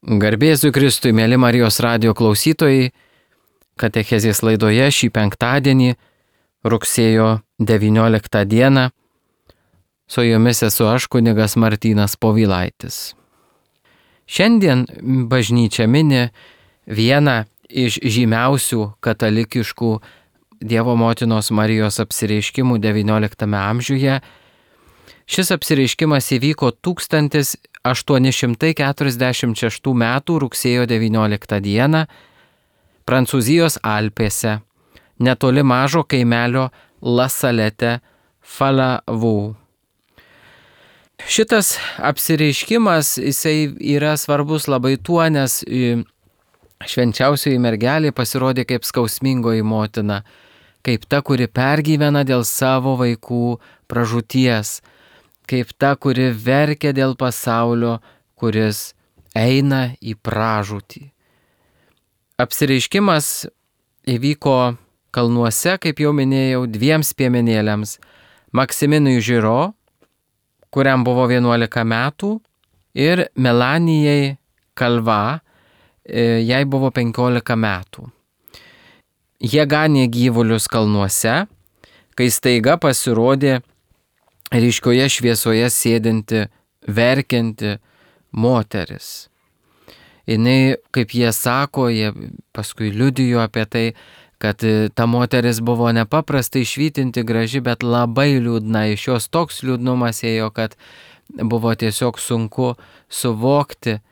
Garbėsiu Kristui, mėly Marijos radijo klausytojai, katechezės laidoje šį penktadienį, rugsėjo 19 dieną, su jumis esu aš, kunigas Martynas Povilaitis. Šiandien bažnyčia mini vieną iš žymiausių katalikiškų Dievo motinos Marijos apsireiškimų XIX amžiuje. Šis apsireiškimas įvyko 1846 m. rugsėjo 19 dieną Prancūzijos Alpėse, netoli mažo kaimelio La Salette Falavou. Šitas apsireiškimas jisai yra svarbus labai tuo, nes švenčiausioji mergelė pasirodė kaip skausmingoji motina, kaip ta, kuri pergyvena dėl savo vaikų pražūties, kaip ta, kuri verkia dėl pasaulio, kuris eina į pražūtį. Apsireiškimas įvyko kalnuose, kaip jau minėjau, dviems piemenėliams – Maksiminui Žiro, kuriam buvo 11 metų, ir Melanijai Kalva, jai buvo 15 metų. Jie ganė gyvulius kalnuose, kai staiga pasirodė ryškioje šviesoje sėdinti, verkianti moteris. Jinai, kaip jie sako, jie paskui liudijo apie tai, kad ta moteris buvo nepaprastai švytinti graži, bet labai liūdna. Iš jos toks liūdnumas ėjo, kad buvo tiesiog sunku suvokti,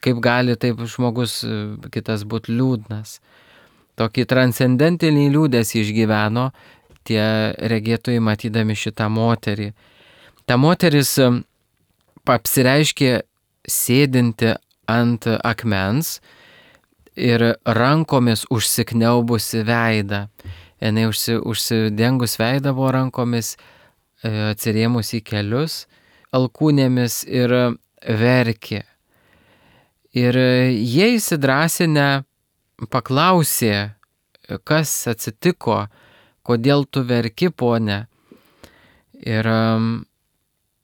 kaip gali taip žmogus kitas būti liūdnas. Tokį transcendentinį liūdesį išgyveno tie regėtojai matydami šitą moterį. Ta moteris apsireiškė sėdinti ant akmens ir rankomis užsikniaubusi veidą. Jinai užsidengus veidą buvo rankomis, atsirėmus į kelius, alkūnėmis ir verkė. Ir jie įsidrasinę paklausė, kas atsitiko, kodėl tu verki, ponia. Ir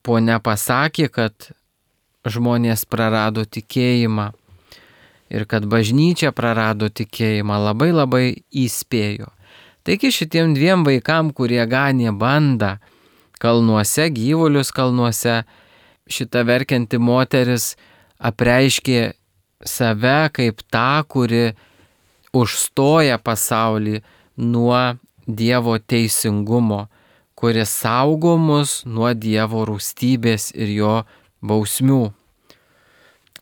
ponia pasakė, kad žmonės prarado tikėjimą ir kad bažnyčia prarado tikėjimą, labai įspėjo. Taigi šitiem dviem vaikam, kurie ganė bandą kalnuose, gyvulius kalnuose, šita verkianti moteris apreiškė save kaip tą, kuri užstoja pasaulį nuo Dievo teisingumo, kuris saugo mus nuo Dievo rūstybės ir jo bausmių.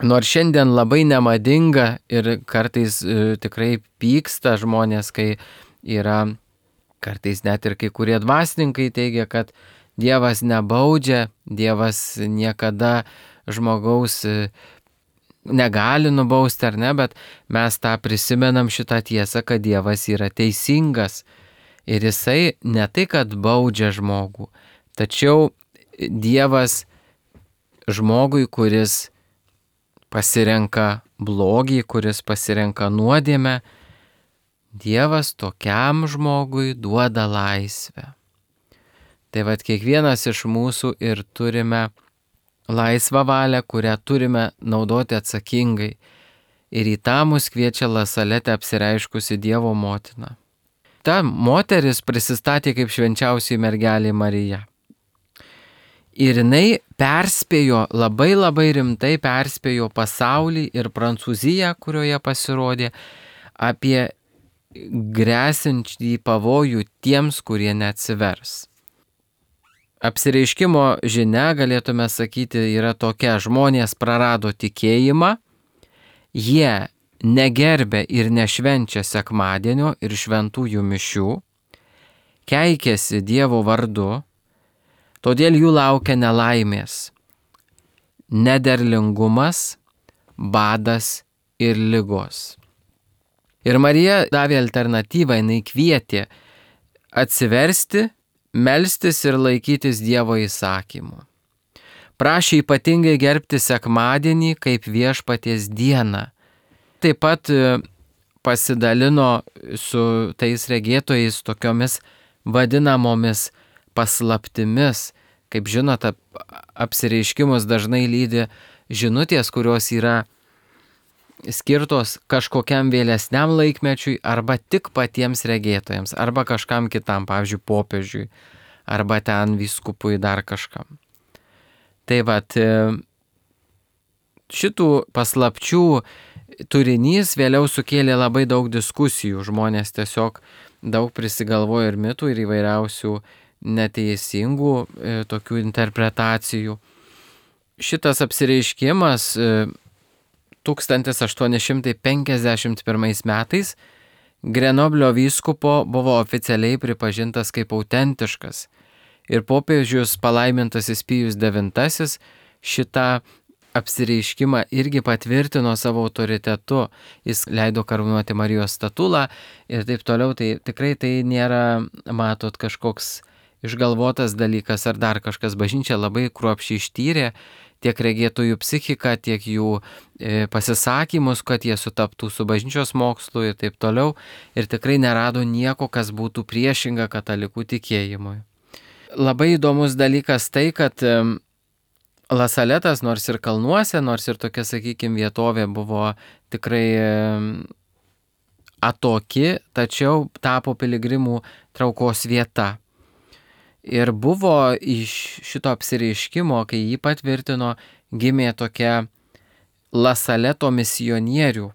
Nors šiandien labai nemadinga ir kartais tikrai pyksta žmonės, kai yra, kartais net ir kai kurie dvasininkai teigia, kad Dievas nebaudžia, Dievas niekada žmogaus negali nubausti ar ne, bet mes tą prisimenam šitą tiesą, kad Dievas yra teisingas. Ir jisai ne tai, kad baudžia žmogų, tačiau Dievas žmogui, kuris pasirenka blogį, kuris pasirenka nuodėmę, Dievas tokiam žmogui duoda laisvę. Tai vat kiekvienas iš mūsų ir turime laisvą valią, kurią turime naudoti atsakingai. Ir į tą mus kviečia La Salette apsireiškusi Dievo motina. Ta moteris prisistatė kaip švenčiausioji mergelė Marija. Ir jinai perspėjo, labai rimtai perspėjo pasaulį ir Prancūziją, kurioje pasirodė, apie gresiantį pavojų tiems, kurie neatsivers. Apsireiškimo žinia, galėtume sakyti, yra tokia: žmonės prarado tikėjimą, jie negerbė ir nešvenčia sekmadienio ir šventųjų mišių, keikėsi Dievo vardu, todėl jų laukia nelaimės, nederlingumas, badas ir ligos. Ir Marija davė alternatyvą, jinai kvietė atsiversti, melstis ir laikytis Dievo įsakymų. Prašė ypatingai gerbti sekmadienį kaip viešpaties dieną. Taip pat pasidalino su tais regėtojais tokiomis vadinamomis paslaptimis. Kaip žinote, apsireiškimus dažnai lydi žinutės, kurios yra skirtos kažkokiam vėlesniam laikmečiui arba tik patiems regėtojams, arba kažkam kitam, pavyzdžiui, popiežiui, arba ten vyskupui dar kažkam. Tai vat, šitų paslapčių turinys vėliau sukėlė labai daug diskusijų, žmonės tiesiog daug prisigalvojo ir mitų, ir įvairiausių neteisingų tokių interpretacijų. Šitas apsireiškimas 1851 metais Grenoblio vyskupo buvo oficialiai pripažintas kaip autentiškas ir popiežius palaimintasis Pijus IX šitą apsireiškimą irgi patvirtino savo autoritetu. Jis leido karūnuoti Marijos statulą ir taip toliau. Tai tikrai tai nėra, matot, kažkoks išgalvotas dalykas ar dar kažkas. Bažnyčia labai kruopščiai ištyrė tiek regėtojų psichiką, tiek jų pasisakymus, kad jie sutaptų su bažnyčios mokslu ir taip toliau. Ir tikrai nerado nieko, kas būtų priešinga katalikų tikėjimui. Labai įdomus dalykas tai, kad Lasaletas, nors ir kalnuose, nors ir tokia, sakykime, vietovė buvo tikrai atoki, tačiau tapo piligrimų traukos vieta. Ir buvo iš šito apsireiškimo, kai jį patvirtino, gimė tokia Lasaleto misionierių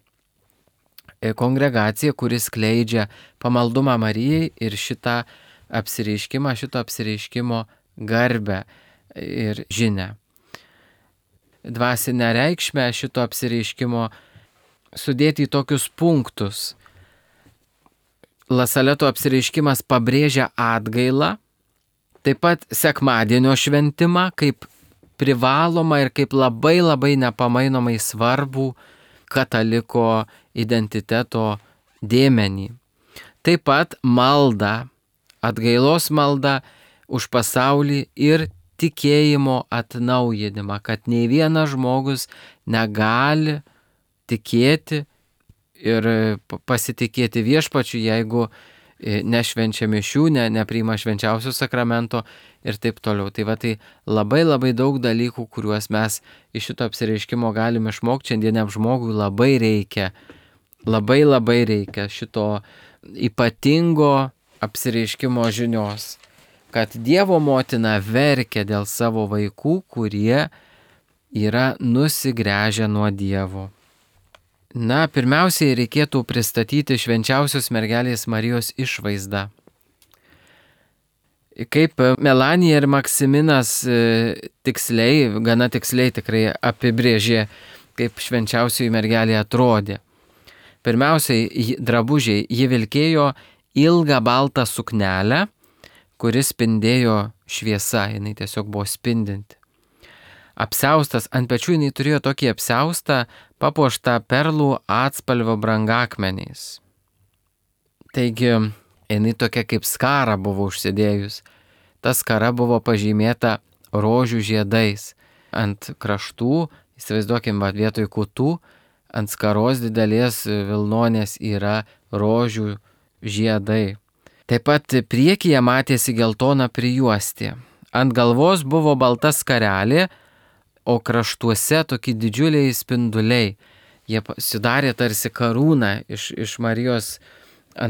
kongregacija, kuris skleidžia pamaldumą Marijai ir šito apsireiškimo garbę ir žinią. Dvasinę reikšmę šito apsireiškimo sudėti į tokius punktus. Lasaleto apsireiškimas pabrėžia atgailą, taip pat sekmadienio šventimą kaip privalomą ir kaip labai labai nepamainomai svarbų kataliko identiteto dėmenį. Taip pat malda, atgailos malda už pasaulį ir tikėjimo atnaujinimą, kad nei vienas žmogus negali tikėti ir pasitikėti viešpačiu, jeigu nešvenčia mišių, nepriima švenčiausio sakramento ir taip toliau. Tai va, tai labai labai daug dalykų, kuriuos mes iš šito apsireiškimo galime išmokti. Šiandieniam žmogui labai reikia šito ypatingo apsireiškimo žinios, kad Dievo motina verkia dėl savo vaikų, kurie yra nusigręžę nuo Dievo. Na, pirmiausiai reikėtų pristatyti švenčiausios mergelės Marijos išvaizdą. Kaip Melanija ir Maksiminas gana tiksliai tikrai apibrėžė, kaip švenčiausioji mergelė atrodė. Pirmiausiai drabužiai, ji vilkėjo ilgą baltą suknelę, kuris spindėjo šviesa, jinai tiesiog buvo spindinti. Apsiaustas, ant pečių jinai turėjo tokį apsiaustą, papuoštą perlų atspalvio brangakmeniais. Taigi, jinai tokia kaip skara buvo užsidėjus. Ta skara buvo pažymėta rožių žiedais. Ant kraštų, įsivaizduokim, vietoj kutų, ant skaros didelės vilnonės yra rožių žiedai. Taip pat priekyje matėsi geltona prijuostė. Ant galvos buvo balta skarelė, o kraštuose tokie didžiuliai spinduliai. Jie sudarė tarsi karūną iš Marijos,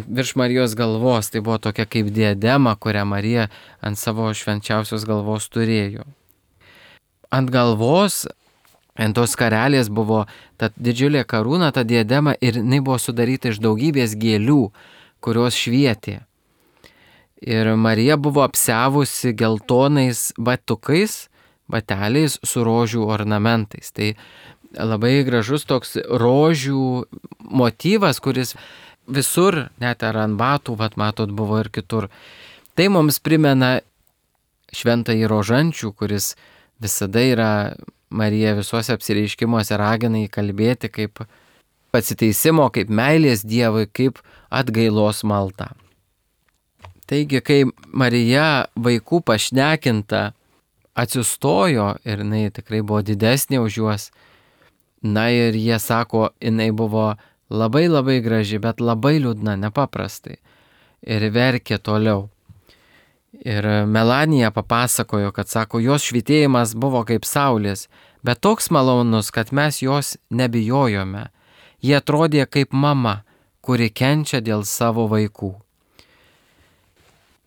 virš Marijos galvos. Tai buvo tokia kaip diadema, kurią Marija ant savo švenčiausios galvos turėjo. Ant galvos, ant tos skarelės buvo ta didžiulė karūna, ta diadema, ir jinai buvo sudaryta iš daugybės gėlių, kurios švietė. Ir Marija buvo apsiavusi geltonais bateliais su rožių ornamentais. Tai labai gražus toks rožių motyvas, kuris visur, net ar ant batų, matot, buvo ir kitur. Tai mums primena šventąjį Rožančių, kuris visada yra Marija visuose apsireiškimuose ragina įkalbėti kaip atsiteisimo, kaip meilės Dievui, kaip atgailos maldą. Taigi, kai Marija vaikų pašnekinta atsistojo ir jinai tikrai buvo didesnė už juos, na ir jie sako, jinai buvo labai labai graži, bet labai liūdna, nepaprastai. Ir verkė toliau. Ir Melanija papasakojo, kad sako, jos švytėjimas buvo kaip saulės, bet toks malonus, kad mes jos nebijojome. Jie atrodė kaip mama, kuri kenčia dėl savo vaikų.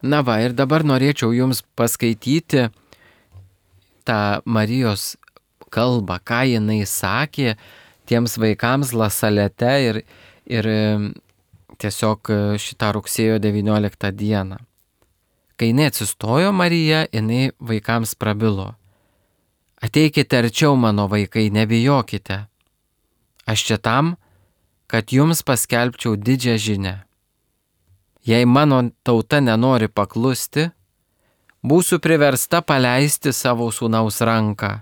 Na va, ir dabar norėčiau jums paskaityti tą Marijos kalbą, ką jinai sakė tiems vaikams La Salete ir tiesiog šitą rugsėjo 19 dieną. Kai jinai atsistojo Marija, jinai vaikams prabilo. Ateikite arčiau, mano vaikai, nebijokite. Aš čia tam, kad jums paskelbčiau didžią žinią. Jei mano tauta nenori paklusti, būsiu priversta paleisti savo sūnaus ranką.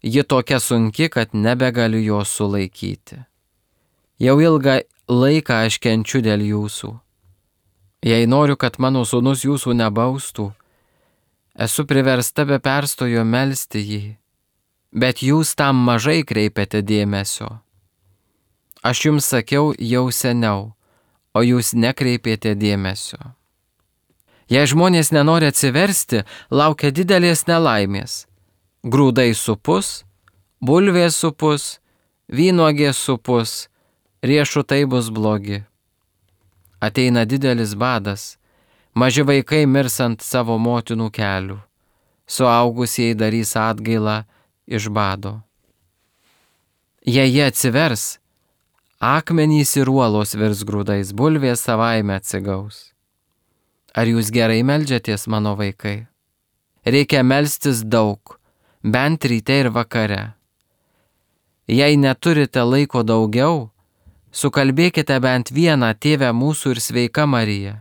Ji tokia sunki, kad nebegaliu jos sulaikyti. Jau ilgą laiką aš kenčiu dėl jūsų. Jei noriu, kad mano sūnus jūsų nebaustų, esu priversta be perstojo melsti jį, bet jūs tam mažai kreipiate dėmesio. Aš jums sakiau jau seniau, o jūs nekreipėte dėmesio. Jei žmonės nenori atsiversti, laukia didelės nelaimės. Grūdai supus, bulvės supus, vynuogės supus, riešutai bus blogi. Ateina didelis badas, maži vaikai mirs ant savo motinų kelių, suaugusieji darys atgailą iš bado. Jei jie atsivers, akmenys ir uolos virs grūdais, bulvės savaime atsigaus. Ar jūs gerai meldžiatės, mano vaikai? Reikia melstis daug, bent ryte ir vakare. Jei neturite laiko daugiau, sukalbėkite bent vieną Tėve mūsų ir sveika Marija.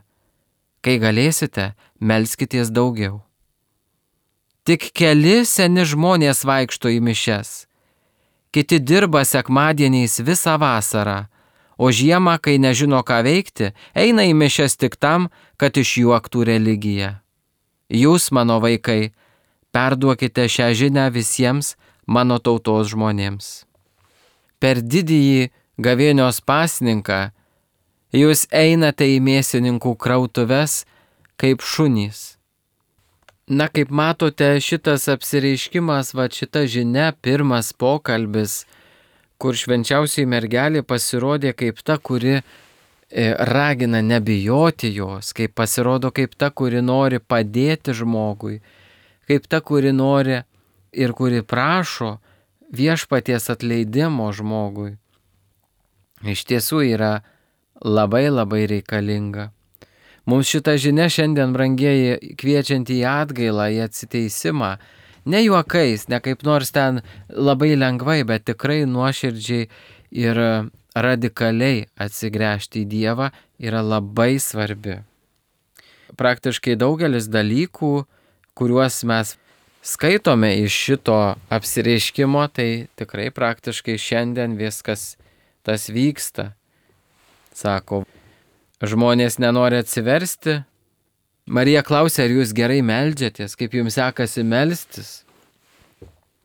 Kai galėsite, melskitės daugiau. Tik keli seni žmonės vaikšto į mišias. Kiti dirba sekmadieniais visą vasarą, o žiemą, kai nežino ką veikti, eina į mišias tik tam, kad išjuoktų religiją. Jūs, mano vaikai, perduokite šią žinią visiems mano tautos žmonėms. Per didįjį gavėnios pasninką jūs einate į mėsininkų krautuves kaip šunys. Na, kaip matote, šitas apsireiškimas, šita žinia, pirmas pokalbis, kur švenčiausioji mergelė pasirodė kaip ta, kuri ragina nebijoti jos, kaip pasirodo kaip ta, kuri nori padėti žmogui, kaip ta, kuri nori ir kuri prašo viešpaties atleidimo žmogui. Iš tiesų yra labai labai reikalinga. Mums šita žinia šiandien, brangieji, kviečianti į atgailą, į atsiteisimą, ne juokais, ne kaip nors ten labai lengvai, bet tikrai nuoširdžiai ir radikaliai atsigręžti į Dievą yra labai svarbi. Praktiškai daugelis dalykų, kuriuos mes skaitome iš šito apsireiškimo, tai tikrai praktiškai šiandien viskas tas vyksta. Sako, žmonės nenori atsiversti. Marija klausė, ar jūs gerai meldžiatės, kaip jums sekasi melstis.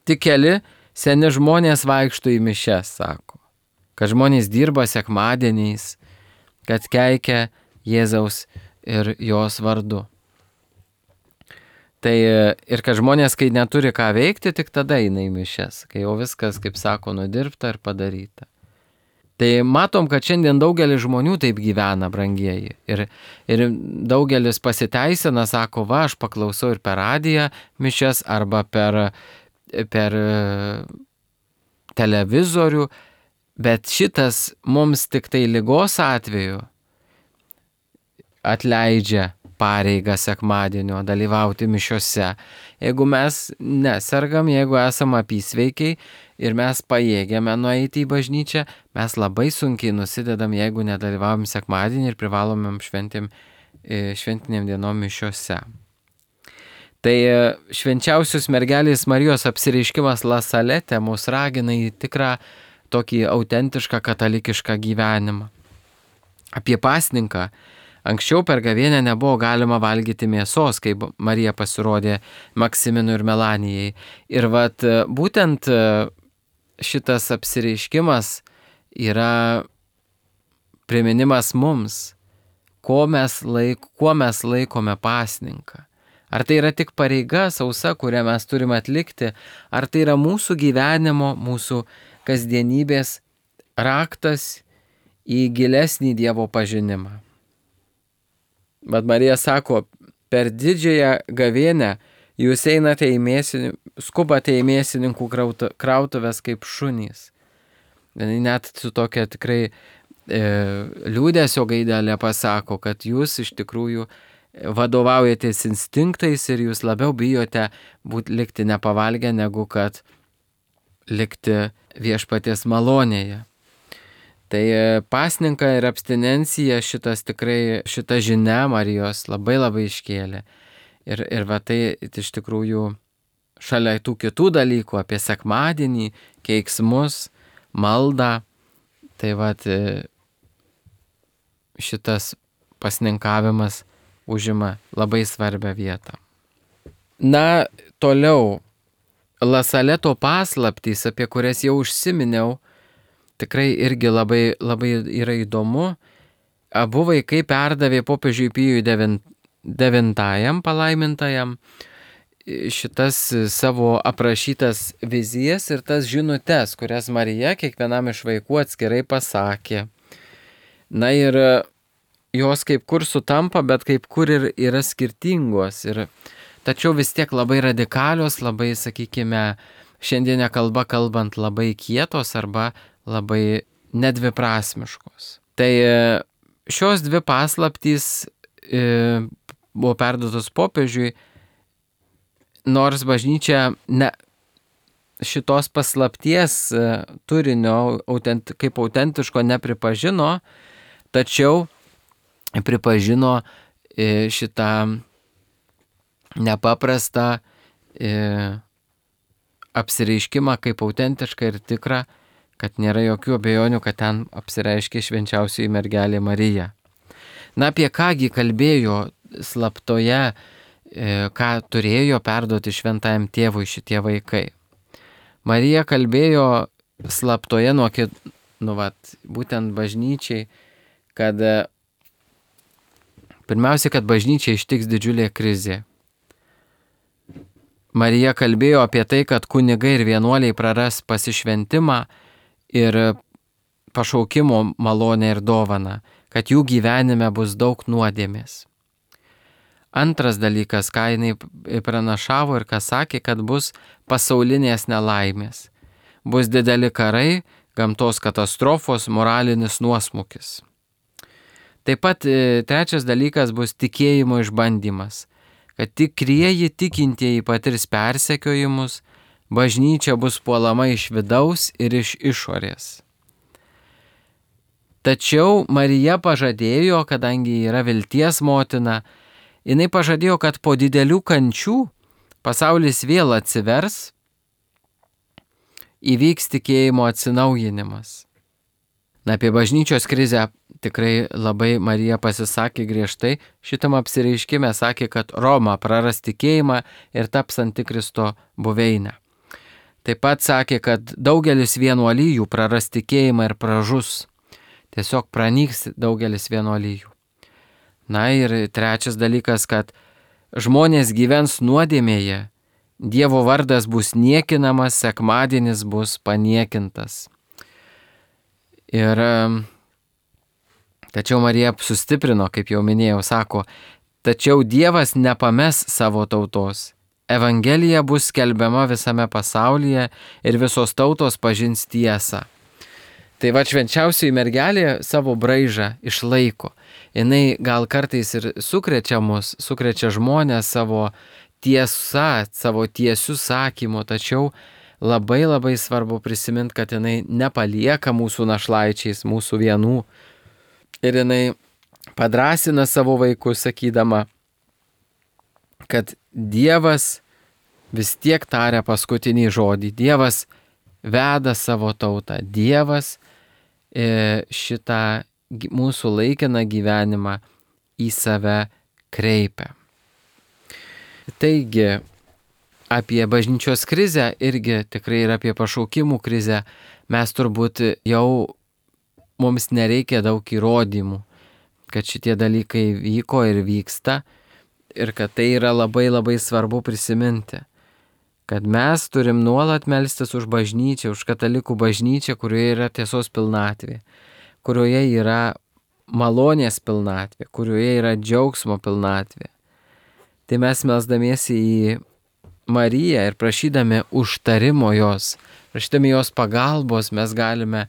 Tik keli seni žmonės vaikšto į mišias, sako, kad žmonės dirba sekmadieniais, kad keikia Jėzaus ir jos vardu. Tai ir kad žmonės, kai neturi ką veikti, tik tada eina į mišias, kai jau viskas, kaip sako, nudirbta ir padaryta. Tai matom, kad šiandien daugelis žmonių taip gyvena, brangieji. Ir daugelis pasiteisina, sako, aš paklausau ir per radiją mišias arba per televizorių, bet šitas mums tik tai ligos atveju atleidžia pareigą sekmadienio dalyvauti mišiose. Jeigu mes nesergam, jeigu esam apysveikiai ir mes pajėgiame nueiti į bažnyčią, mes labai sunkiai nusidedam, jeigu nedalyvavom sekmadienį ir privalomėm šventiniam dienom mišiose. Tai švenčiausios mergelės Marijos apsireiškimas La Salete mus ragina į tikrą tokį autentišką katalikišką gyvenimą. Apie pasninką. Anksčiau per gavėnią nebuvo galima valgyti mėsos, kai Marija pasirodė Maksiminui ir Melanijai. Ir būtent šitas apsireiškimas yra priminimas mums, kuo mes laikome pasninką. Ar tai yra tik pareiga sausa, kurią mes turime atlikti, ar tai yra mūsų gyvenimo, mūsų kasdienybės raktas į gilesnį Dievo pažinimą. Bet Marija sako, per didžiąją gavėnią jūs einate skubate į mėsininkų krautuvės kaip šunys. Net su tokia tikrai liūdesio gaidelė pasako, kad jūs iš tikrųjų vadovaujatės instinktais ir jūs labiau bijote likti nepavalgę, negu kad likti viešpaties malonėje. Tai pasninką ir abstinencija šita žinia Marijos labai iškėlė. Ir va tai iš tikrųjų šalia tų kitų dalykų apie sekmadienį, keiksmus, maldą, tai va šitas pasninkavimas užima labai svarbią vietą. Na, toliau, Lasaleto paslaptys, apie kurias jau užsiminiau, tikrai irgi labai yra įdomu. Abu vaikai perdavė popiežiui Pijui IX palaimintajam šitas savo aprašytas vizijas ir tas žinutes, kurias Marija kiekvienam iš vaikų atskirai pasakė. Na ir jos kaip kur sutampa, bet kaip kur ir yra skirtingos. Tačiau vis tiek labai radikalios, labai, sakykime, šiandienę kalbą kalbant labai kietos arba labai nedviprasmiškos. Tai šios dvi paslaptys buvo perduotos popiežiui, nors bažnyčia šitos paslapties turinio kaip autentiško nepripažino, tačiau pripažino šitą nepaprastą apsireiškimą kaip autentišką ir tikrą, kad nėra jokių abejonių, kad ten apsireiškė švenčiausioji mergelė Marija. Na, apie kągi kalbėjo slaptoje, ką turėjo perduoti šventajam tėvui šitie vaikai. Marija kalbėjo slaptoje būtent bažnyčiai, kad pirmiausia, kad bažnyčia ištiks didžiulė krizė. Marija kalbėjo apie tai, kad kunigai ir vienuoliai praras pasišventimą ir pašaukimo malonę ir dovaną, kad jų gyvenime bus daug nuodėmės. Antras dalykas, ką jinai pranašavo ir ką sakė, kad bus pasaulinės nelaimės. Bus dideli karai, gamtos katastrofos, moralinis nuosmukis. Taip pat trečias dalykas bus tikėjimo išbandymas, kad tikrieji tikintieji patirs persekiojimus, bažnyčia bus puolama iš vidaus ir iš išorės. Tačiau Marija pažadėjo, kadangi yra vilties motina, jinai pažadėjo, kad po didelių kančių pasaulis vėl atsivers, įvyks tikėjimo atsinaujinimas. Na, apie bažnyčios krizę tikrai labai Marija pasisakė griežtai. Šitam apsireiškime sakė, kad Roma praras tikėjimą ir taps antikristo buveinę. Taip pat sakė, kad daugelis vienuolijų praras tikėjimą ir pražus. Tiesiog pranyks daugelis vienuolijų. Na ir trečias dalykas, kad žmonės gyvens nuodėmėje, Dievo vardas bus niekinamas, sekmadienis bus paniekintas. Ir tačiau Marija sustiprino, kaip jau minėjau, sako, tačiau Dievas nepames savo tautos. Evangelija bus skelbiama visame pasaulyje ir visos tautos pažins tiesą. Tai va švenčiausioji mergelė savo braižą išlaiko. Jinai gal kartais ir sukrečia žmonės savo tiesa, savo tiesių sakymu, tačiau labai svarbu prisiminti, kad jinai nepalieka mūsų našlaičiais, mūsų vienų. Ir jinai padrąsina savo vaikus, sakydama, kad Dievas vis tiek taria paskutinį žodį. Dievas veda savo tautą. Dievas šitą mūsų laikiną gyvenimą į save kreipia. Taigi, apie bažnyčios krizę irgi tikrai ir apie pašaukimų krizę mes turbūt jau mums nereikia daug įrodymų, kad šitie dalykai vyko ir vyksta ir kad tai yra labai svarbu prisiminti, kad mes turim nuolat melstis už bažnyčią, už katalikų bažnyčią, kurioje yra tiesos pilnatvė, kurioje yra malonės pilnatvė, kurioje yra džiaugsmo pilnatvė. Tai mes melsdamiesi į Mariją ir prašydami užtarimo jos, prašydami jos pagalbos, mes galime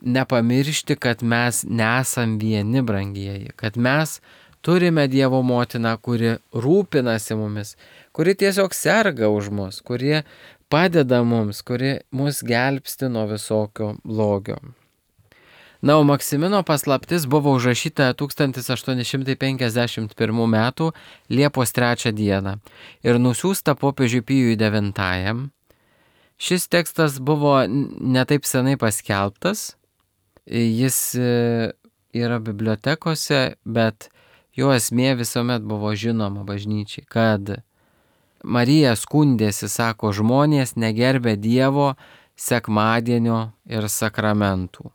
nepamiršti, kad mes nesam vieni, brangieji, kad mes turime Dievo motiną, kuri rūpinasi mumis, kuri tiesiog serga už mus, kuri padeda mums, kuri mus gelbsti nuo visokio blogio. Na, o Maksimino paslaptis buvo užrašyta 1851 m. Liepos 3 d. ir nusiųsta popiežiui Pijui IX. Šis tekstas buvo netaip senai paskelbtas, jis yra bibliotekose, bet jo esmė visuomet buvo žinoma bažnyčiai, kad Marija skundėsi, sako, žmonės negerbė Dievo sekmadienio ir sakramentų.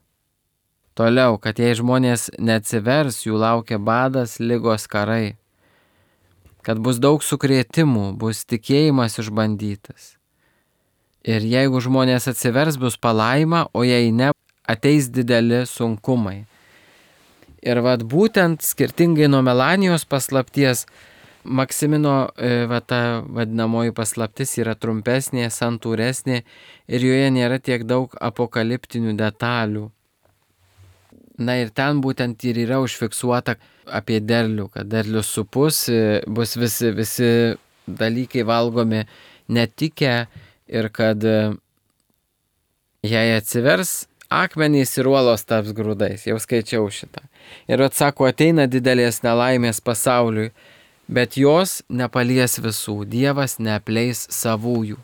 Toliau, kad jei žmonės neatsivers, jų laukia badas, ligos, karai. Kad bus daug sukrėtimų, bus tikėjimas išbandytas. Ir jeigu žmonės atsivers, bus palaima, o jei ne, ateis dideli sunkumai. Ir būtent skirtingai nuo Melanijos paslapties, Maksimino ta vadinamoji paslaptis yra trumpesnė, santūresnė ir joje nėra tiek daug apokaliptinių detalių. Na ir ten būtent ir yra užfiksuota apie derlių, kad derlius supus, bus visi dalykai valgomi netikę ir kad jei atsivers, akmenys ir uolos taps grūdais. Jau skaičiau šitą. Ir atsako, ateina didelės nelaimės pasauliui, bet jos nepalies visų, Dievas neapleis savųjų.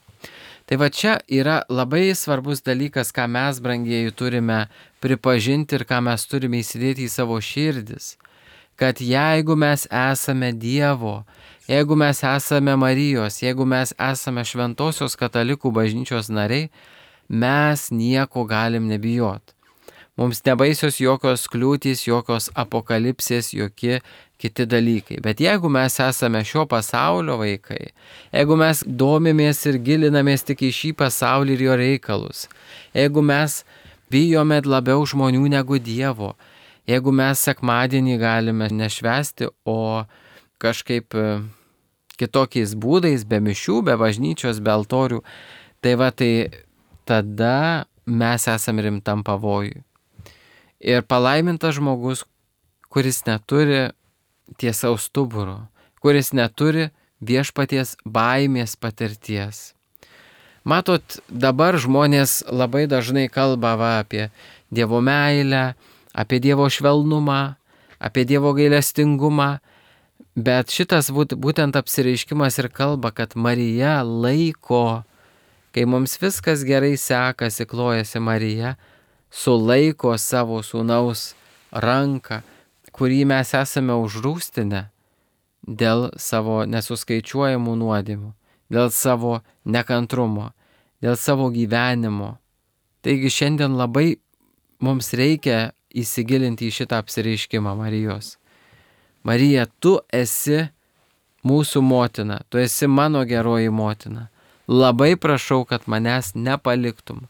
Tai čia yra labai svarbus dalykas, ką mes, brangieji, turime pripažinti ir ką mes turime įsidėti į savo širdis. Kad jeigu mes esame Dievo, jeigu mes esame Marijos, jeigu mes esame Šventosios katalikų bažnyčios nariai, mes nieko galim nebijoti. Mums nebaisios jokios kliūtys, jokios apokalipsės, jokie kiti dalykai. Bet jeigu mes esame šio pasaulio vaikai, jeigu mes domimės ir gilinamės tik į šį pasaulį ir jo reikalus, jeigu mes bijome labiau žmonių negu Dievo, jeigu mes sekmadienį galime nešvęsti, o kažkaip kitokiais būdais, be mišių, be bažnyčios, be altorių, tai tada mes esame rimtam pavojui. Ir palaimintas žmogus, kuris neturi tiesaus stuburo, kuris neturi viešpaties baimės patirties. Matot, dabar žmonės labai dažnai kalba apie Dievo meilę, apie Dievo švelnumą, apie Dievo gailestingumą, bet šitas būtent apsireiškimas ir kalba, kad Marija laiko, kai mums viskas gerai sekasi, klojasi Marija, sulaiko savo sūnaus ranką, kurį mes esame užrūstinę dėl savo nesuskaičiuojamų nuodėmių, dėl savo nekantrumo, dėl savo gyvenimo. Taigi šiandien labai mums reikia įsigilinti į šitą apsireiškimą Marijos. Marija, tu esi mūsų motina, tu esi mano geroji motina. Labai prašau, kad manęs nepaliktum,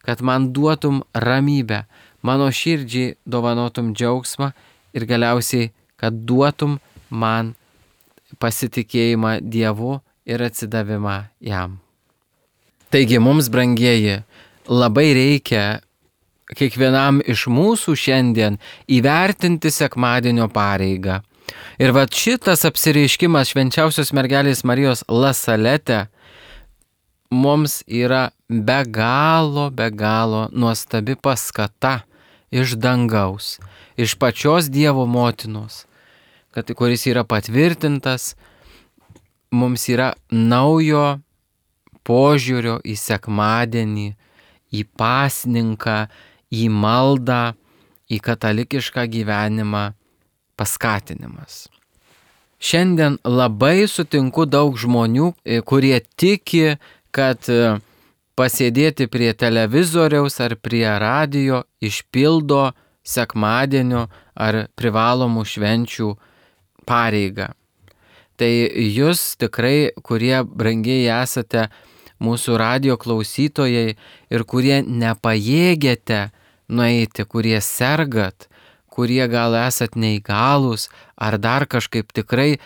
kad man duotum ramybę, mano širdžiai dovanotum džiaugsmą ir galiausiai, kad duotum man pasitikėjimą Dievu ir atsidavimą jam. Taigi mums, brangieji, labai reikia kiekvienam iš mūsų šiandien įvertinti sekmadienio pareigą. Ir šitas apsireiškimas švenčiausios mergelės Marijos La Salete mums yra be galo nuostabi paskata iš dangaus, iš pačios Dievo motinos, kuris yra patvirtintas, mums yra naujo požiūrio į sekmadienį, į pasninką, į maldą, į katalikišką gyvenimą paskatinimas. Šiandien labai sutinku daug žmonių, kurie tiki, kad pasėdėti prie televizoriaus ar prie radijo išpildo sekmadienio ar privalomų švenčių pareigą. Tai jūs tikrai, kurie brangiai esate mūsų radio klausytojai ir kurie nepajėgėte nueiti, kurie sergat, kurie gal esat neįgalūs ar dar kažkaip, tikrai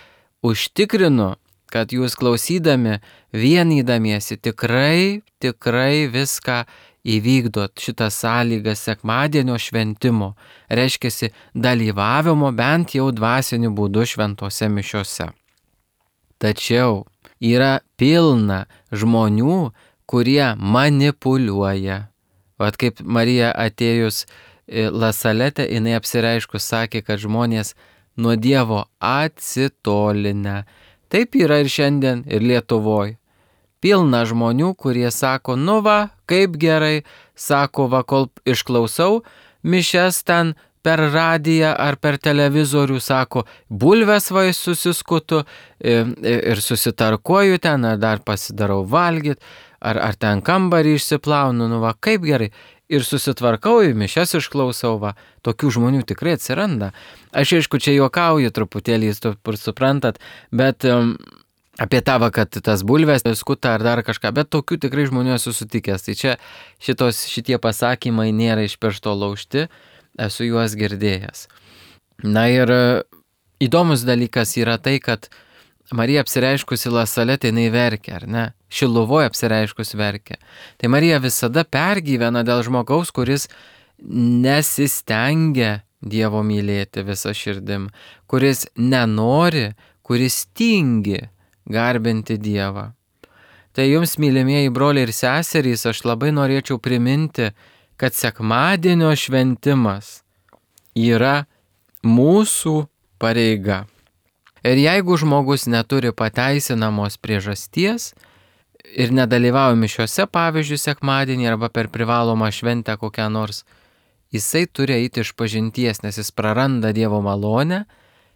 užtikrinu, kad jūs klausydami, vienydamiesi tikrai viską įvykdot šitą sąlygą sekmadienio šventimo, reiškiasi dalyvavimo bent jau dvasiniu būdu šventose mišiose. Tačiau yra pilna žmonių, kurie manipuliuoja. Vat kaip Marija atėjus La Salete, jinai apsireiškus sakė, kad žmonės nuo Dievo atsitolinę. Taip yra ir šiandien, ir Lietuvoje. Pilna žmonių, kurie sako, nu va, kaip gerai, sako, va, kol išklausau mišias ten per radiją ar per televizorių, sako, bulves va susiskutu ir susitarkuoju ten, ar dar pasidarau valgyt, ar ten kambarį išsiplaunu, nu va, kaip gerai. Ir susitvarkau, mišias išklausau, va, tokių žmonių tikrai atsiranda. Aš aišku, čia juokauju truputėlį, suprantat, bet apie tavo, kad tas bulves skuta ar dar kažką, bet tokių tikrai žmonių esu sutikęs. Tai čia šitie pasakymai nėra iš piršto laužti, esu juos girdėjęs. Na ir įdomus dalykas yra tai, kad Marija apsireiškusi La Salete, jinai verkia, ar ne? Šiluvoje apsireiškusi verkia. Tai Marija visada pergyvena dėl žmogaus, kuris nesistengia Dievo mylėti visą širdim, kuris nenori, kuris tingi garbinti Dievą. Tai jums, mylimieji broliai ir seserys, aš labai norėčiau priminti, kad sekmadienio šventimas yra mūsų pareiga. Ir jeigu žmogus neturi pateisinamos priežasties ir nedalyvauja mišiose, pavyzdžiui, sekmadienį arba per privalomą šventę kokią nors, jisai turi eiti išpažinties, nes jis praranda Dievo malonę,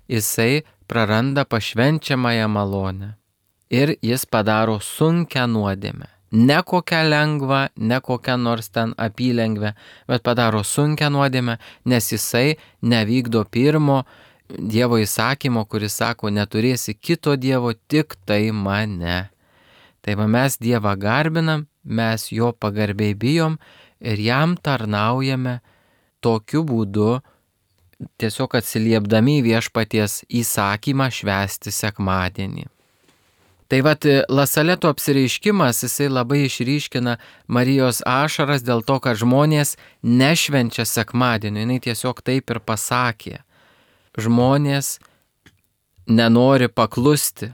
jisai praranda pašvenčiamąją malonę. Ir jis padaro sunkią nuodėmę. Ne kokią lengvą, ne kokią nors ten apylengvę, bet padaro sunkią nuodėmę, nes jisai nevykdo pirmo Dievo įsakymo, kuris sako, neturėsi kito Dievo, tik tai mane. Tai mes Dievą garbinam, mes jo pagarbiai bijom ir jam tarnaujame tokiu būdu, tiesiog atsiliepdami į viešpaties įsakymą švęsti sekmadienį. Tai vat La Saleto apsireiškimas, jisai labai išryškina Marijos ašaras dėl to, kad žmonės nešvenčia sekmadienį, jinai tiesiog taip ir pasakė. Žmonės nenori paklusti,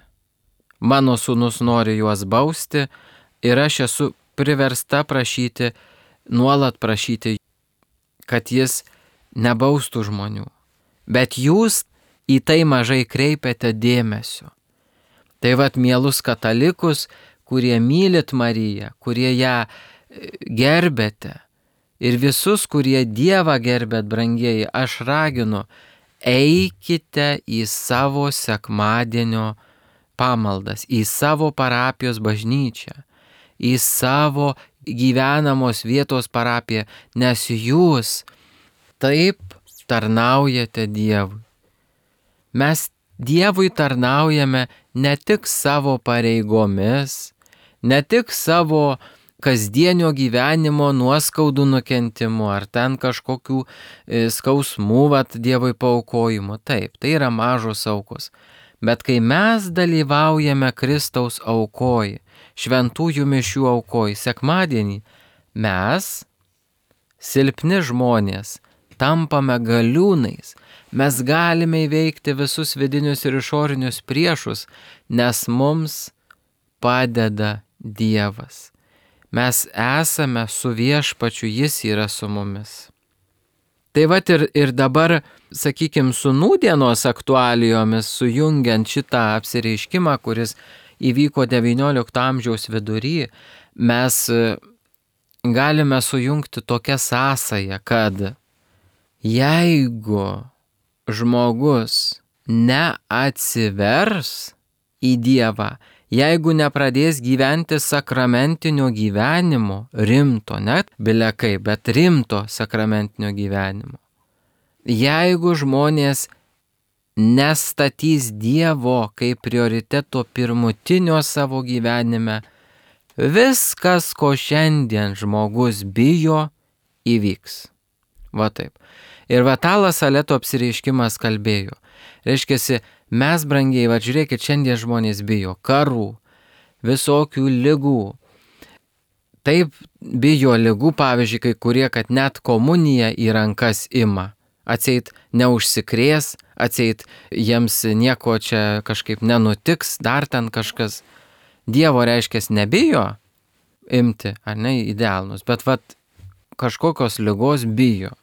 mano sūnus nori juos bausti ir aš esu priversta prašyti, nuolat prašyti, kad jis nebaustų žmonių. Bet jūs į tai mažai kreipiate dėmesio. Tai vat mielus katalikus, kurie mylit Mariją, kurie ją gerbėte ir visus, kurie Dievą gerbėt, brangieji, aš raginu, eikite į savo sekmadienio pamaldas, į savo parapijos bažnyčią, į savo gyvenamos vietos parapiją, nes jūs taip tarnaujate Dievui. Mes Dievui tarnaujame ne tik savo pareigomis, ne tik savo kasdienio gyvenimo nuoskaudų nukentimu, ar ten kažkokių skausmų Dievui paaukojimo. Taip, tai yra mažos aukos. Bet kai mes dalyvaujame Kristaus aukoj, šventųjų mišių aukoj, sekmadienį, mes, silpni žmonės, tampame galiūnais. Mes galime įveikti visus vidinius ir išorinius priešus, nes mums padeda Dievas. Mes esame su viešpačiu, jis yra su mumis. Tai vat ir dabar, sakykime, su nūdienos aktualijomis, sujungiant šitą apsireiškimą, kuris įvyko XIX amžiaus vidury, mes galime sujungti tokią sąsają, kad jeigu žmogus neatsivers į Dievą, jeigu nepradės gyventi sakramentinio gyvenimo, rimto, net bilekai, bet rimto sakramentinio gyvenimo, jeigu žmonės nestatys Dievo kaip prioriteto pirmutinio savo gyvenime, Viskas, ko šiandien žmogus bijo, įvyks. Va taip. Ir va tą Lasaleto apsireiškimas kalbėjo. Reiškiasi, mes brangiai, va žiūrėkit, šiandien žmonės bijo karų, visokių ligų. Taip bijo ligų, pavyzdžiui, kai kurie, kad net komuniją į rankas ima. Atseit neužsikrės, atseit jiems nieko čia kažkaip nenutiks, dar ten kažkas. Dievo reiškias nebijo imti, ar ne, į delnus, bet vat kažkokios ligos bijo.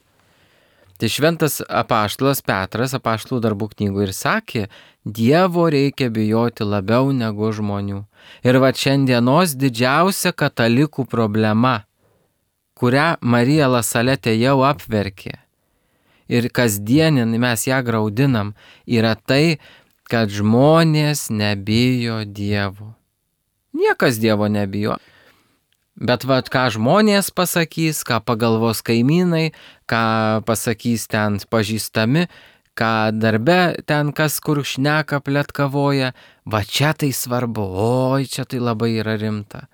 Tai šventas apaštalas Petras apaštalų darbų knygų ir sakė, Dievo reikia bijoti labiau negu žmonių. Ir va šiandienos didžiausia katalikų problema, kurią Marija Lasaletė jau apverkė, ir kasdienin mes ją graudinam, yra tai, kad žmonės nebijo Dievo. Niekas Dievo nebijo. Bet vat ką žmonės pasakys, ką pagalvos kaimynai, ką pasakys ten pažįstami, ką darbe ten kas kur šneka pletkavoja, va čia tai svarbu, oi čia tai labai yra rimta.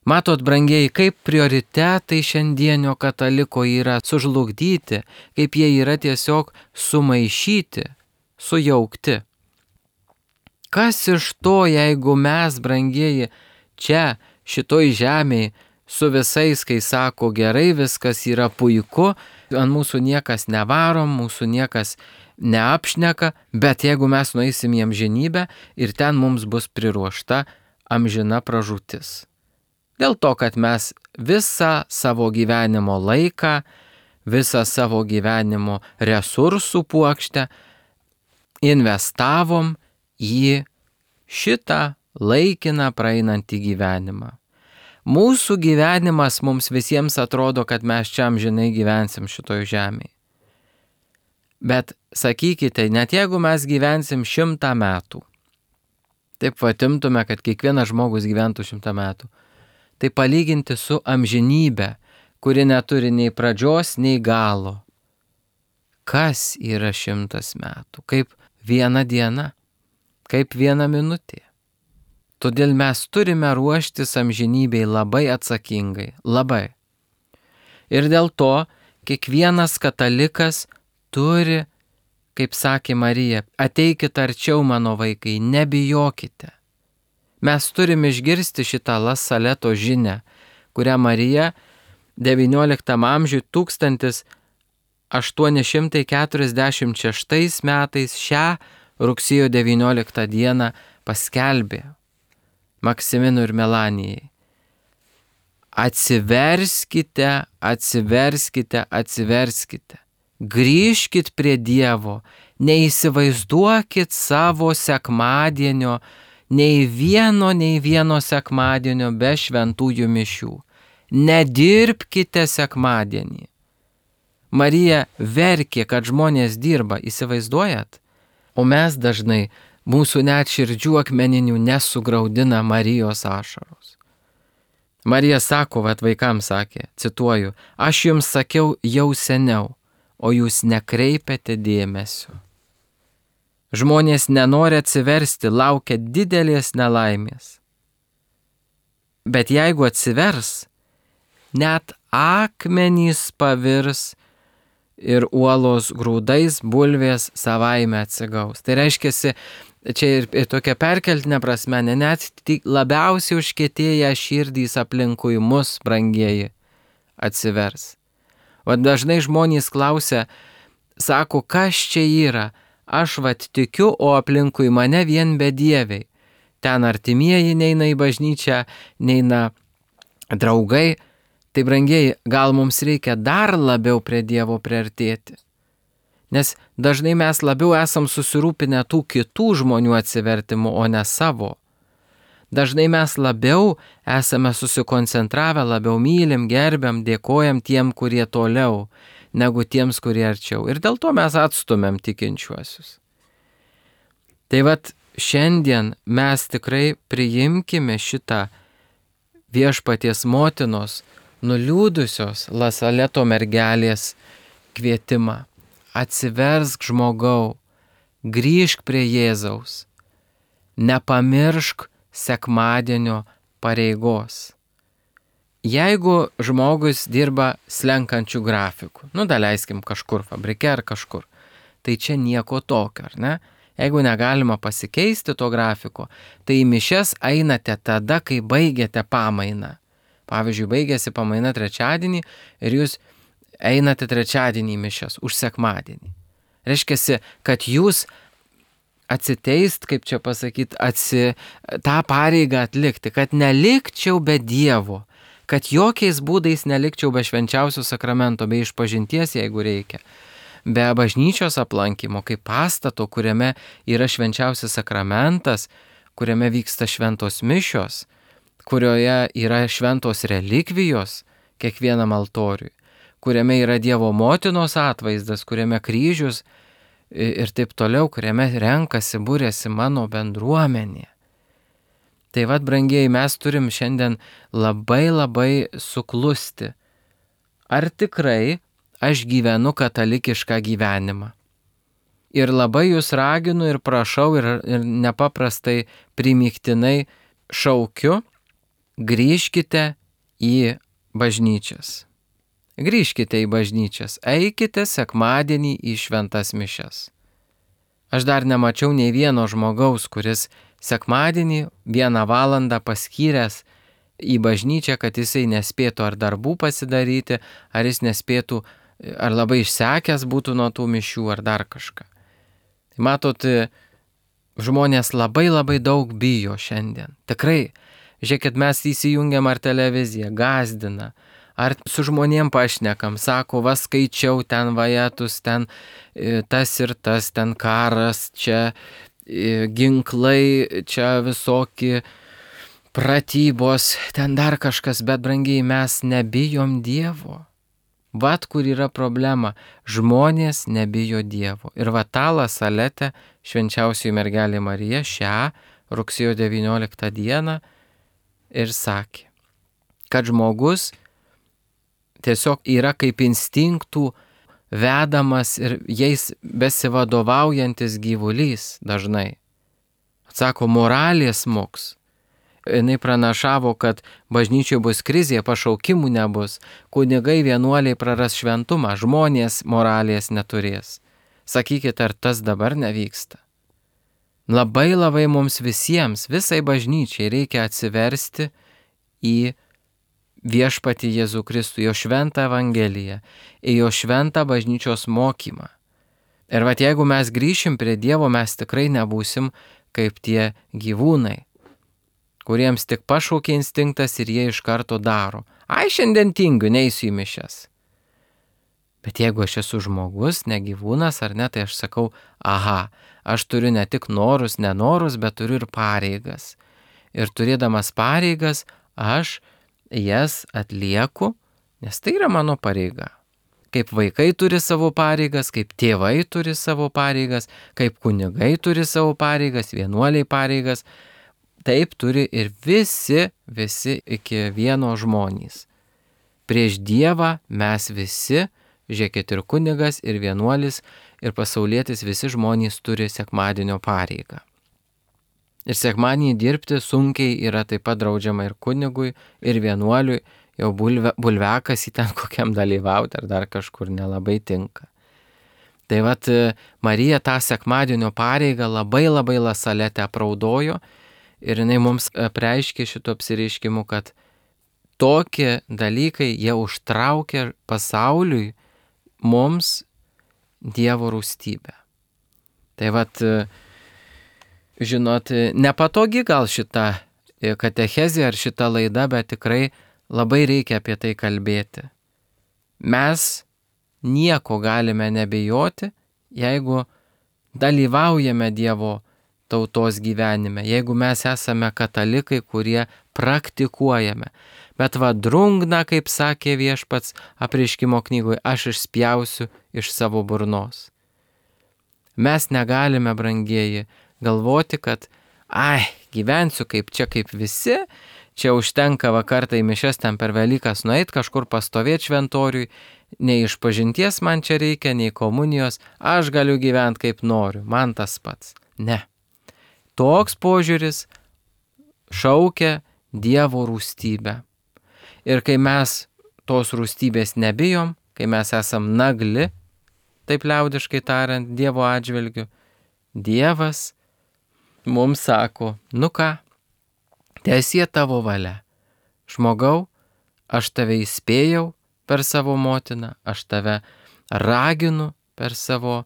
Matot, brangieji, kaip prioritetai šiandienio kataliko yra sužlugdyti, kaip jie yra tiesiog sumaišyti, sujaukti. Kas iš to, jeigu mes, brangieji, čia šitoj žemėje su visais, kai sako gerai, viskas yra puiku, ant mūsų niekas nevarom, mūsų niekas neapšneka, bet jeigu mes nueisim į amžinybę ir ten mums bus priruošta amžina pražūtis. Dėl to, kad mes visą savo gyvenimo laiką, visą savo gyvenimo resursų puokštę investavom į šitą laikiną praeinantį gyvenimą. Mūsų gyvenimas mums visiems atrodo, kad mes čia amžinai gyvensim šitoj žemėje. Bet sakykite, net jeigu mes gyvensim 100 metų, taip vatimtume, kad kiekvienas žmogus gyventų 100 metų, tai palyginti su amžinybė, kuri neturi nei pradžios, nei galo. Kas yra 100 metų? Kaip viena diena, kaip viena minutė. Todėl mes turime ruoštis amžinybei labai atsakingai, labai. Ir dėl to kiekvienas katalikas turi, kaip sakė Marija, ateikit arčiau mano vaikai, nebijokite. Mes turime išgirsti šitą Lasaleto žinią, kurią Marija XIX amžiuje 1846 metais šią rugsėjo 19 dieną paskelbė Maksiminui ir Melanijai. Atsiverskite, atsiverskite, atsiverskite. Grįžkit prie Dievo, neįsivaizduokit savo sekmadienio, nei vieno sekmadienio be šventųjų mišių. Nedirbkite sekmadienį. Marija verkė, kad žmonės dirba, įsivaizduojat? O mes dažnai mūsų net širdžių akmeninių nesugraudina Marijos ašaros. Marija sako, vat vaikams sakė, cituoju, aš jums sakiau jau seniau, o jūs nekreipiate dėmesio. Žmonės nenori atsiversti, laukia didelės nelaimės. Bet jeigu atsivers, net akmenys pavirs ir uolos grūdais, bulvės savaime atsigaus. Tai reiškia, čia ir tokia perkeltinė prasme, net labiausiai užkietėję širdys aplinkui mus, brangieji, atsivers. O dažnai žmonės klausia, sako, kas čia yra? Aš vat tikiu, o aplinkui mane vien bedieviai. Ten artimieji neina į bažnyčią, neina draugai. Tai brangieji, gal mums reikia dar labiau prie Dievo priartėti. Nes dažnai mes labiau esam susirūpinę tų kitų žmonių atsivertimu, o ne savo. Dažnai mes labiau esame susikoncentravę, labiau mylim, gerbiam, dėkojam tiem, kurie toliau, negu tiems, kurie arčiau. Ir dėl to mes atstumiam tikinčiuosius. Tai vat šiandien mes tikrai priimkime šitą Viešpaties motinos nuliūdusios Lasaleto mergelės kvietimą. Atsiversk žmogau, grįžk prie Jėzaus, nepamiršk sekmadienio pareigos. Jeigu žmogus dirba slenkančių grafikų, daleiskim kažkur fabrike ar kažkur, tai čia nieko tokio, ar ne? Jeigu negalima pasikeisti to grafiko, tai į mišias einate tada, kai baigiate pamainą. Pavyzdžiui, baigėsi pamaina trečiadienį ir jūs einate trečiadienį į mišias už sekmadienį. Reiškia, kad jūs atsiteist, kaip čia pasakyti, tą pareigą atlikti, kad nelikčiau be Dievo, kad jokiais būdais nelikčiau be švenčiausio sakramento, be išpažinties, jeigu reikia, be bažnyčios aplankymo, kaip pastato, kuriame yra švenčiausias sakramentas, kuriame vyksta šventos mišios, kurioje yra šventos relikvijos kiekvienam altoriui, kuriame yra Dievo motinos atvaizdas, kuriame kryžius ir taip toliau, kuriame renkasi, būrėsi mano bendruomenė. Tai vad, brangieji, mes turim šiandien labai suklusti. Ar tikrai aš gyvenu katalikišką gyvenimą? Ir labai jūs raginu ir prašau ir nepaprastai primygtinai šaukiu, grįžkite į bažnyčias. Grįžkite į bažnyčias, eikite sekmadienį į šventas mišias. Aš dar nemačiau nei vieno žmogaus, kuris sekmadienį 1 valandą paskyręs į bažnyčią, kad jisai nespėtų ar darbų pasidaryti, ar jis nespėtų, ar labai išsekęs būtų nuo tų mišių, ar dar kažką. Matot, žmonės labai daug bijo šiandien. Tikrai, žiūrėkit, mes įsijungiam ar televiziją, gąsdina, ar su žmonėm pašnekam, sako, va skaičiau ten vajetus, ten tas ir tas, ten karas, čia ginklai, čia visokie pratybos, ten dar kažkas, bet brangiai mes nebijom Dievo. Vat kur yra problema, žmonės nebijo Dievo. Ir va tą Lasaletę švenčiausioji mergelė Marija šią rugsėjo 19 dieną ir sakė, kad žmogus tiesiog yra kaip instinktų vedamas ir jais besivadovaujantis gyvulys dažnai. Sako, moralės moks. Jinai pranašavo, kad bažnyčioje bus krizė, pašaukimų nebus, kunigai vienuoliai praras šventumą, žmonės moralės neturės. Sakykit, ar tas dabar nevyksta? Labai mums visiems, visai bažnyčiai reikia atsiversti į viešpatį Jėzų Kristų, jo šventą Evangeliją, į jo šventą bažnyčios mokymą. Ir vat jeigu mes grįšim prie Dievo, mes tikrai nebūsim kaip tie gyvūnai, kuriems tik pašaukė instinktas ir jie iš karto daro. Ai, šiandien tingiu, neisiu į mišias. Bet jeigu aš esu žmogus, ne gyvūnas ar ne, tai aš sakau, aha, aš turiu ne tik norus, nenorus, bet turiu ir pareigas. Ir turėdamas pareigas, aš jas atlieku, nes tai yra mano pareiga. Kaip vaikai turi savo pareigas, kaip tėvai turi savo pareigas, kaip kunigai turi savo pareigas, vienuoliai pareigas, taip turi ir visi iki vieno žmonės. Prieš Dievą mes visi, žiūrėkit, ir kunigas, ir vienuolis, ir pasaulietis, visi žmonės turi sekmadienio pareigą. Ir sekmadienį dirbti sunkiai yra taip pat draudžiama ir kunigui, ir vienuoliui, jau bulvekas į ten kokiam dalyvauti ar dar kažkur nelabai tinka. Tai vat Marija tą sekmadienio pareigą labai Lasaletę apraudojo ir jinai mums apreiškė šito apsireiškimu, kad tokie dalykai jie užtraukia pasauliui mums Dievo rūstybę. Tai vat, žinot, nepatogi gal šita katechezė ar šita laida, bet tikrai labai reikia apie tai kalbėti. Mes nieko galime nebijoti, jeigu dalyvaujame Dievo tautos gyvenime, jeigu mes esame katalikai, kurie praktikuojame. Bet va drungna, kaip sakė viešpats apreiškimo knygoje, aš išspjausiu iš savo burnos. Mes negalime, brangieji, galvoti, kad gyvensiu kaip visi, čia užtenka vakartą į mišias ten per Velykas nueit, kažkur pastovėti šventoriui, nei išpažinties man čia reikia, nei komunijos, aš galiu gyventi kaip noriu, man tas pats. Ne. Toks požiūris šaukia Dievo rūstybę. Ir kai mes tos rūstybės nebijom, kai mes esam nagli, taip liaudiškai tariant, Dievo atžvilgiu, Dievas mums sako, nu ką, teesie tavo valia. Žmogau, aš tave įspėjau per savo motiną, aš tave raginu per savo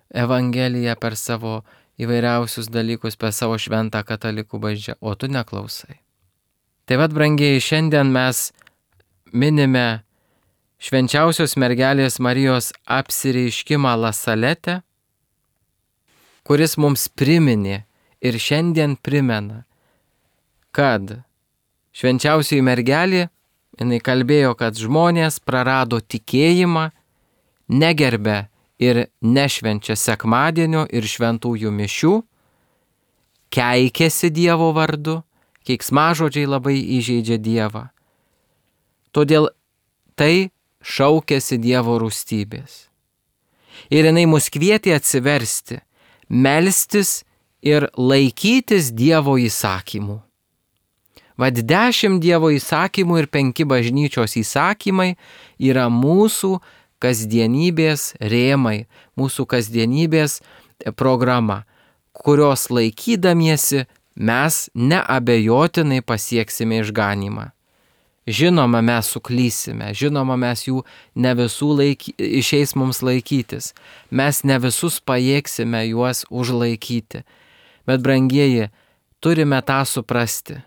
Evangeliją, per savo įvairiausius dalykus, per savo šventą katalikų bažnyčią, o tu neklausai. Tai vad, brangieji, šiandien mes minime švenčiausios mergelės Marijos apsireiškimą La Salete, kuris mums priminė ir šiandien primena, kad švenčiausioji mergelė, jinai kalbėjo, kad žmonės prarado tikėjimą, negerbė ir nešvenčia sekmadienio ir šventųjų mišių, keikėsi Dievo vardu, keiksmažodžiai labai įžeidžia Dievą. Todėl tai šaukėsi Dievo rūstybės. Ir jinai mus kvietė atsiversti, melstis ir laikytis Dievo įsakymų. Vad 10 Dievo įsakymų ir 5 bažnyčios įsakymai yra mūsų kasdienybės rėmai, mūsų kasdienybės programa, kurios laikydamiesi mes neabejotinai pasieksime išganymą. Žinoma, mes suklysime, žinoma, mes jų ne visų išeis mums laikytis, mes ne visus pajėgsime juos užlaikyti. Bet, brangieji, turime tą suprasti,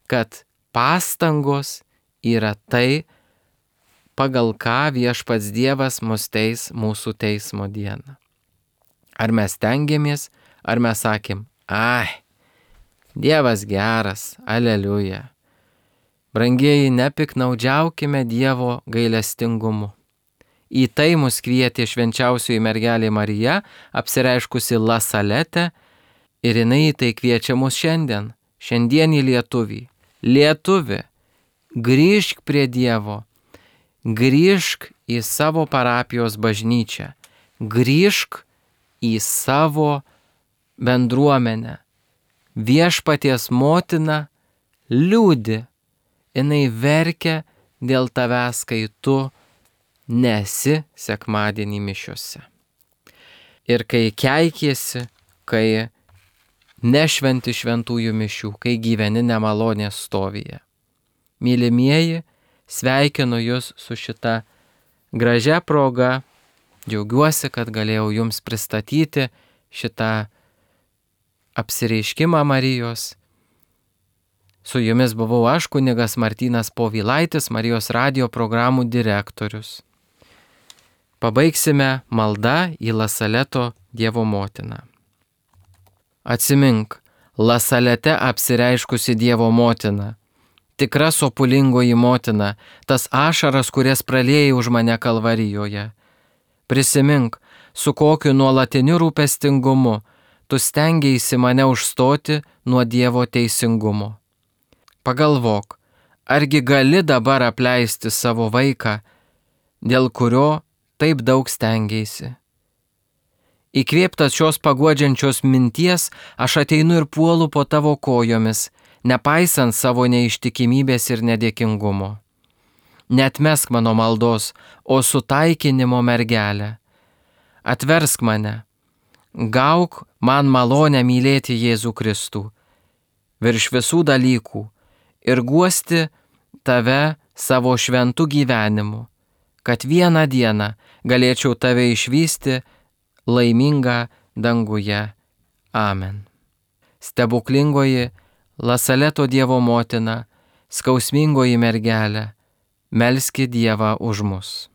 kad pastangos yra tai, pagal ką viešpats Dievas mus teis mūsų teismo dieną. Ar mes tengiamės, ar mes sakėm, ai, Dievas geras, aleliuja. Brangieji, nepiknaudžiaukime Dievo gailestingumu. Į tai mus kvietė švenčiausioji mergelė Marija, apsireiškusi La Salete, ir jinai į tai kviečia mus šiandien, šiandienį lietuvį. Lietuvi, grįžk prie Dievo, grįžk į savo parapijos bažnyčią, grįžk į savo bendruomenę. Viešpaties motina liūdi, jinai verkia dėl tavęs, kai tu nesi sekmadienį mišiuose. Ir kai keikiesi, kai nešventi šventųjų mišių, kai gyveni nemalonės stovyje. Mylimieji, sveikinu jūs su šita gražia proga. Džiaugiuosi, kad galėjau jums pristatyti šitą apsireiškimą Marijos. Su jumis buvau aš, kunigas Martynas Povilaitis, Marijos radijo programų direktorius. Pabaigsime maldą į La Saleto Dievo motiną. Atsimink, La Salete apsireiškusi Dievo motina, tikra sopulingoji motina, tas ašaras, kurias praliejai už mane Kalvarijoje. Prisimink, su kokiu nuolatiniu rūpestingumu tu stengiaisi mane užstoti nuo Dievo teisingumo. Pagalvok, argi gali dabar apleisti savo vaiką, dėl kurio taip daug stengiaisi. Įkvėptas šios paguodžiančios minties, aš ateinu ir puolu po tavo kojomis, nepaisant savo neištikimybės ir nedėkingumo. Neatmesk mano maldos, o sutaikinimo mergelę. Atversk mane, gauk man malonę mylėti Jėzų Kristų virš visų dalykų ir guosti tave savo šventų gyvenimu, kad vieną dieną galėčiau tave išvysti laimingą danguje. Amen. Stebuklingoji La Saleto Dievo motina, skausmingoji mergelė, melski Dievą už mus.